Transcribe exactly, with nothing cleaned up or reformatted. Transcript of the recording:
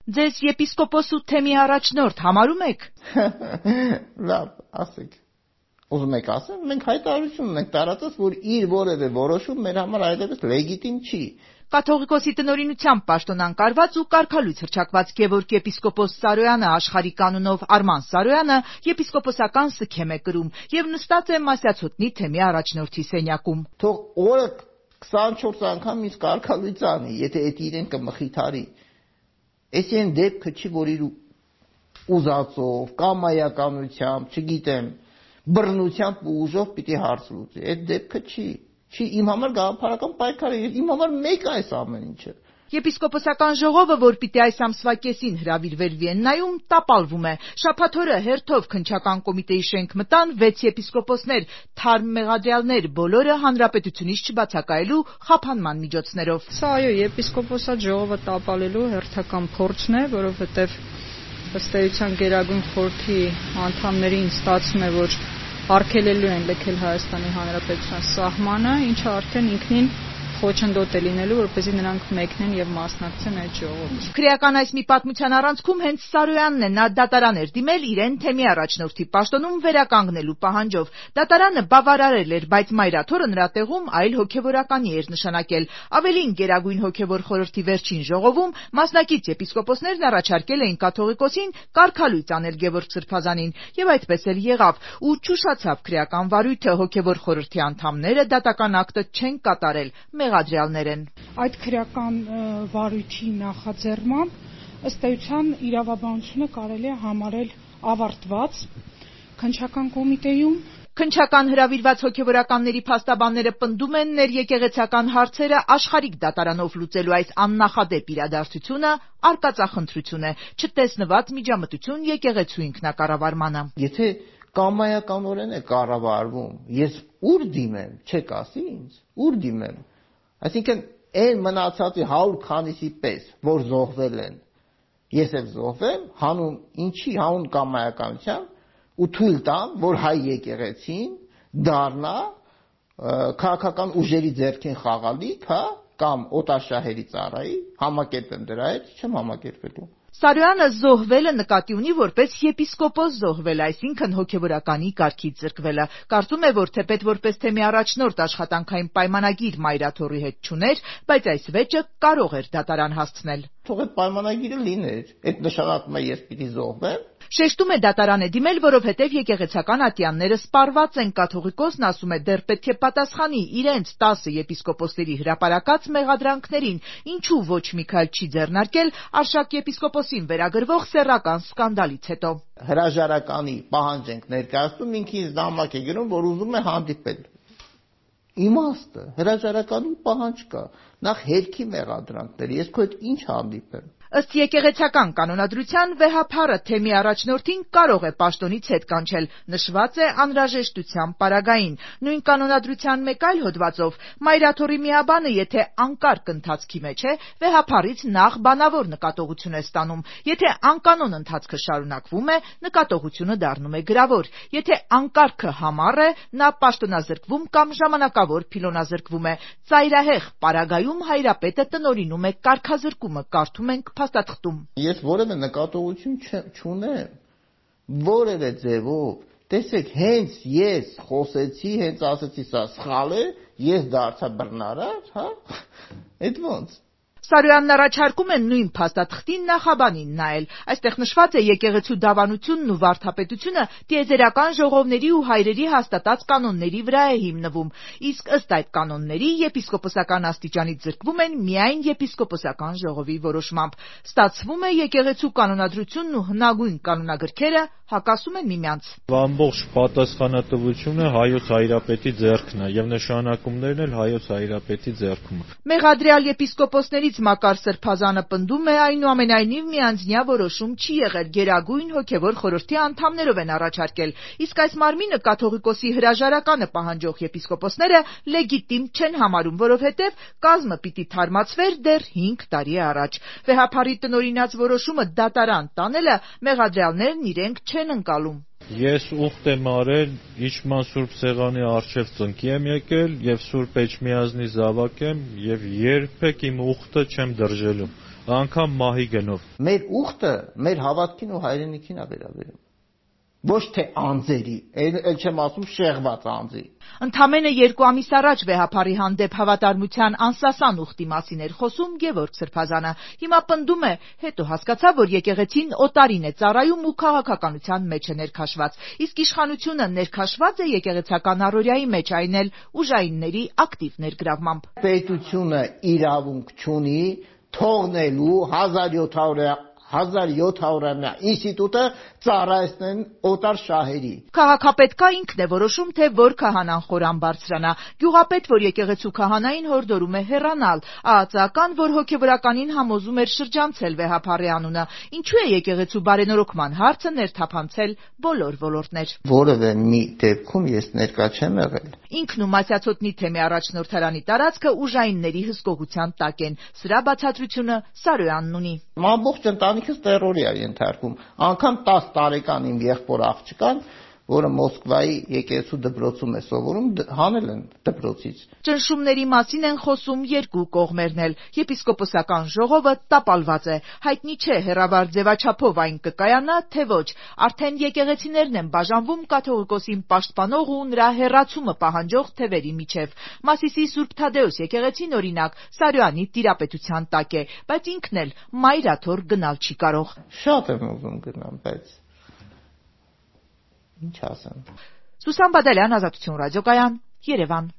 Ձեզ եպիսկոպոս ու թեմի առաջնորդ համարում եք։ Լավ, ասեք։ Ուզում եք ասեմ, մենք հայտարարություն ունենք տարածած, որ իր որևէ որոշում մեր համար այլևս լեգիտիմ չի։ Կաթողիկոսի տնօրինությամբ պաշտոնակարված ու կարգալույց հռչակված Գևորգ եպիսկոպոս Սարոյանը աշխարհի կանոնով Արման Սարոյանը եպիսկոպոսական սգեմ է կրում եւ նստած է Մասյացոտնի թեմի առաջնորդի սենյակում։ Թող օրը քսանչորս անգամ ինձ կարգալույց անի, եթե այդ իրեն կմխիթարի։ Էս այն դեպքը չի, որ իր ուզածով, կամայականությամբ, չգիտեմ, բռնությամբ ու ուժով պիտի հարց լուծի։ Այդ դեպքը չի։ Չի իմ համար գաղափարական պայքար է, իմ համար մեկ է այս ամեն ինչը։ Եպիսկոպոսական ժողովը, որ պիտի այս ամսվա կեսին հրավիրվեր Վիեննայում, տապալվում է։ Շաբաթօրը հերթով քննչական կոմիտեի շենք մտան վեց եպիսկոպոսներ, թարմ մեղադրյալներ, բոլորը հանրապետությունից չբացակայելու խափանման միջոցներով։ Սա այո, եպիսկոպոսատ ժողովը տապալելու հերթական փորձն է, որովհետև ըստ էության Գերագույն խորհրդի անդամներին ստացվում է, որ արգելելու են լքել Հայաստանի Հանրապետության սահմանը, ինչը արդեն ինքնին խոչընդոտ է լինելու, որպեսզի նրանք մեկնեն եւ մասնակցեն այդ ժողովին։ Քրեական այս մի պատմության առանցքում հենց Սարոյանն է, նա դատարան էր դիմել իրեն թեմի առաջնորդի պաշտոնում վերականգնելու պահանջով։ Դատարանը բավարարել էր, բայց մայրաթորը նրա տեղում այլ հոգեվորականի էր նշանակել։ Ավելին, Գերագույն հոգեվոր խորհրդի վերջին ժողովում մասնակից եպիսկոպոսներն առաջարկել էին կաթողիկոսին կարգալույց անել Գևորգ Սրբազանին, եւ այդպես էլ եղավ, ու ճուշացավ քրեական վարույթը, հոգեվոր խորհրդի անդամները դատական ակտը չեն կատարել, մեղադրյալներ են։ Այդ քրեական վարույթի նախաձեռնմամբ ըստ էության իրավաբանությունը կարելի է համարել ավարտված քննչական կոմիտեում։ Քննչական հրավիրված հոգեվորականների փաստաբանները պնդում են ներեկեղեցական հարցերը աշխարհիկ դատարանով լուծելու այս աննախադեպ իրադարձությունը արկածախնդրություն է, չտեսնված միջամտություն եկեղեցու ինքնակառավարմանը։ Եթե կամայականորեն է կառավարվում, ես ուր դիմեմ, չեք ասի ինձ, ուր դիմեմ։ Այսինքն այն մնացածի հարյուր քանիսի պես, որ զոհվել են, ես էլ զոհվեմ, հանուն ինչի, հանուն կամայականության ու թույլ տամ, որ հայ եկեղեցին դառնա քաղաքական ուժերի ձեռքին խաղալիք, հա, կամ օտարշահերի ծառայի, համակերպեմ դրա հետ, չեմ համակերպելու։ Սարոյանը զոհվելը նկատի ունի որպես եպիսկոպոս զոհվել, այսինքն հոգեվորականի կարգից զրկվելը։ Կարծում է, որ թեպետ որպես թեմի առաջնորդ աշխատանքային պայմանագիր մայրաթորի հետ չուներ, բայց այս վեճը կարող էր դատարան հասցնել։ Թող այդ պայմանագիրը լիներ, այդ նշանակում է ես պիտի զոհվեմ։ Շեշտում է դատարան է դիմել, որովհետև եկեղեցական ատյանները սպառված են, կաթողիկոսն ասում է դեռ պետք է պատասխանի իրենց տասը եպիսկոպոսների հրապարակած մեղադրանքներին, ինչու ոչ մի քայլ չի ձեռնարկել Արշակ եպիսկոպոսին վերագրվող սեռական սկանդալից հետո։ Հրաժարականի պահանջ ենք ներկայացնում, ինքը ինձ նամակ է գրում, որ ուզում է հանդիպել։ Իմաստը, հրաժարականի պահանջ կա, նախ հերքի մեղադրանքներ, ես քո հետ ինչ հանդիպեմ։ Ըստ եկեղեցական կանոնադրության վեհափառը թեմի առաջնորդին կարող է պաշտոնից հետ կանչել, նշված է անհրաժեշտության պարագային։ Նույն կանոնադրության մեկ այլ հոդվածով մայրաթորի միաբանը, եթե անկարգ ընթացքի մեջ է, վեհափառից նախ բանավոր նկատողություն է ստանում։ Եթե անկանոն ընթացքը շարունակվում է, նկատողությունը դառնում է գրավոր։ Եթե անկարգը համառ է, նա պաշտոնազրկվում կամ ժամանակավոր փիլոնազրկվում է։ Ծայրահեղ պարագայում հայրապետը տնօրինում է կարգազրկումը, կարդում ենք փաստաթղթում։ Ես որևէ նկատողություն չունեմ, որևէ ձևով, տեսեք, հենց ես խոսեցի, հենց ասեցի սա սխալ է, ես դարձա բռնարար, հա, այդ ոնց։ Սարոյանն առաջարկում են նույն փաստաթղթին նախաբանին նայել։ Այստեղ նշված է եկեղեցու դավանությունն ու վարդապետությունը տիեզերական ժողովների ու հայրերի հաստատած կանոնների վրա է հիմնվում, իսկ ըստ այդ կանոնների եպիսկոպոսական աստիճանից զրկվում են միայն եպիսկոպոսական ժողովի որոշմամբ։ Ստացվում է եկեղեցու կանոնադրությունն ու հնագույն կանոնագրքերը հակասում են միմյանց։ Ամբողջ պատասխանատվությունը հայոց հայրապետի ձեռքն է եւ նշանակումներն էլ հայոց հայրապետի ձեռքում։ Մեղադրյալ եպիսկոպոսներից Մակար Սրբազանը պնդում է, այնուամենայնիվ միանձնյա որոշում չի եղել, Գերագույն հոգեվոր խորհրդի անդամներով են առաջարկել, իսկ այս մարմինը կաթողիկոսի հրաժարականը պահանջող եպիսկոպոսները լեգիտիմ չեն համարում, որովհետև կազմը պիտի թարմացվեր դեռ հինգ տարի առաջ։ Վեհափառի տնօրինած որոշումը դատարան տանելը մեղադրյալներն իրենք չեն ընկալում։ Ես ուխտ եմ արել, իշխման Սուրբ Սեղանի առջև ծնկի եմ եկել եւ Սուրբ Էջմիածնի զավակ եմ եւ երբեք իմ ուխտը չեմ դրժելու։ անգամ մահի գնով։ Մեր ուխտը մեր հավատքին ու հայրենիքին է վերաբերում։ Ոչ թե անձերի, ել չեմ ասում շեղված անձի։ Ընդամենը երկու ամիս առաջ վեհափարի հանդեպ հավատարմության անսասան ուխտի մասին էր խոսում Գևորգ Սրբազանը։ Հիմա պնդում է, հետո հասկացա, որ եկեղեցին օտարին է ծառայում ու քաղաքականության մեջ է ներքաշված, իսկ իշխանությունը ներքաշված է եկեղեցական առօրյայի մեջ, այն էլ ուժայինների ակտիվ ներգրավմամբ։ Պետությունը իրավունք չունի թողնելու հազար յոթ հարյուրամյա ինստիտուտը ծառայեցնեն օտար շահերի։ Քաղաքապետը ինքն է որոշում, թե որ քահանան խորան բարձրանա։ Գյուղապետ, որ եկեղեցու քահանային հորդորում է հեռանալ, ԱԱԾ-ական, որ հոգևորականին համոզում էր շրջանցել վեհափարի անունը։ Ինչու է եկեղեցու բարենորոգման հարցը ներթափանցել բոլոր ոլորտներ։ Որևէ մի դեպքում ես ներկա չեմ եղել։ Ինքն ու Մասյացոտնի թեմի առաջնորդարանի տարածքը ուժայինների հսկողության տակ են։ Սրա բացատրությունը Սարոյանն ունի։ Ամբողջ ընտանիքս տերորի է ենթարկվում։ Անգամ տասը տարեկան իմ եղբոր աղջկան, որը Մոսկվայի եկեղեցու դպրոցում է սովորում, հանել են դպրոցից։ Ճնշումների մասին են խոսում երկու կողմերն էլ։ Եպիսկոպոսական ժողովը տապալված է։ Հայտնի չէ հեռավար ձևաչափով այն կկայանա, թե ոչ։ Արդեն եկեղեցիներն են բաժանվում կաթողիկոսին պաշտպանող ու նրա հեռացումը պահանջող թևերի միջև։ Մասիսի Սուրբ Թադեուս եկեղեցին, օրինակ, Սարոյանի տիրապետության տակ է, բայց ինքն էլ մայրաթոր գնալ չի կարող։ Շատ եմ ուզում գնամ, բայց ինչ ասեմ։ Սուսան Բադալյան, Ազատություն ռադիոկայան, Երևան։